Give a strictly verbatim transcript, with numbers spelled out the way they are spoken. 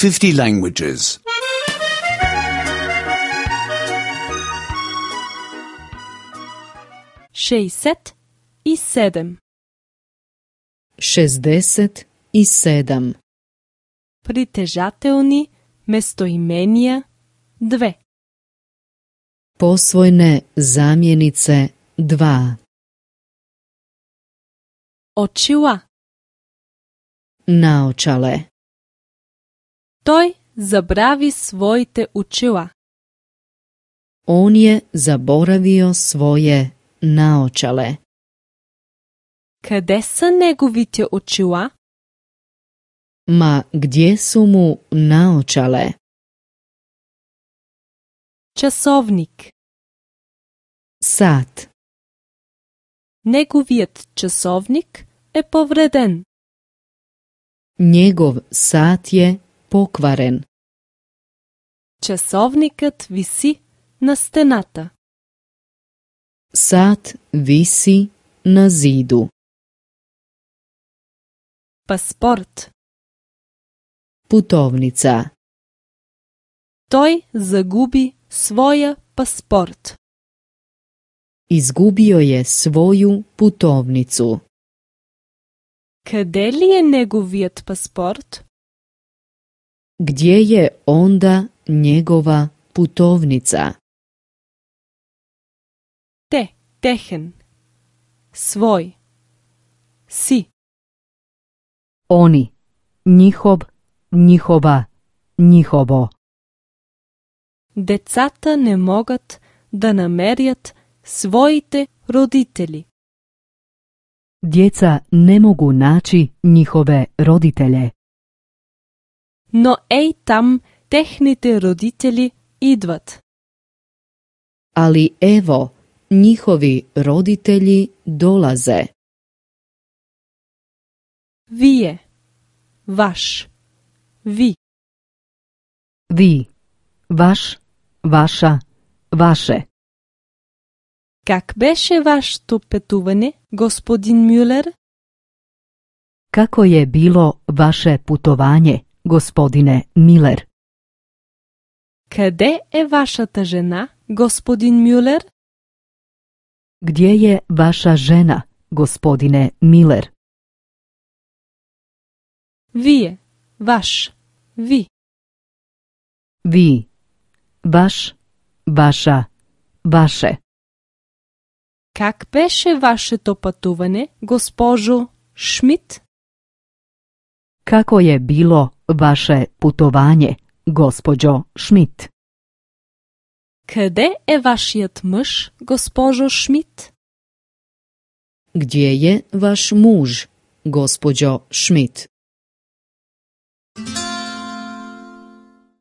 fifty languages. šezdeset i sedam. šezdeset i sedam. Притежателни местоимения две. Posvojne zamjenice dva. Очила. Naočale. Той забрави своите очила. On je zaboravio svoje naočale. Къде са неговите очила? Ma gdje su mu naočale? Часовник. Sat. Неговият часовник е повреден. Njegov sat je pokvaren. Часовникът виси на стената. Sat visi na zidu. Паспорт. Putovnica. Той загуби своя паспорт. Izgubio je svoju putovnicu. Къде ли е неговият паспорт? Gdje je onda njegova putovnica? Те, техен. Свой. Си. Oni, njihov, njihova, njihovo. Децата не могат да намерят своите родители. Djeca ne mogu naći njihove roditelje. Но ей там техните родители идват. Ali evo, njihovi roditelji dolaze. Вие. Ваш. Ви. Vi, vaš, vaša, vaše. Как беше вашето пътуване, господин Мюлер? Kako je bilo vaše putovanje, gospodine Miller? Къде е вашата жена, господин Мюлер? Gdje je vaša žena, gospodine Miller? Вие. Ваш. Ви. Vi, vaš, vaša, vaše. Как беше вашето пътуване, госпожо Шмидт? Kako je bilo vaše putovanje, gospođo Schmidt? Къде е вашият мъж, госпожо Шмидт? Gdje je vaš muž, gospođo Schmidt?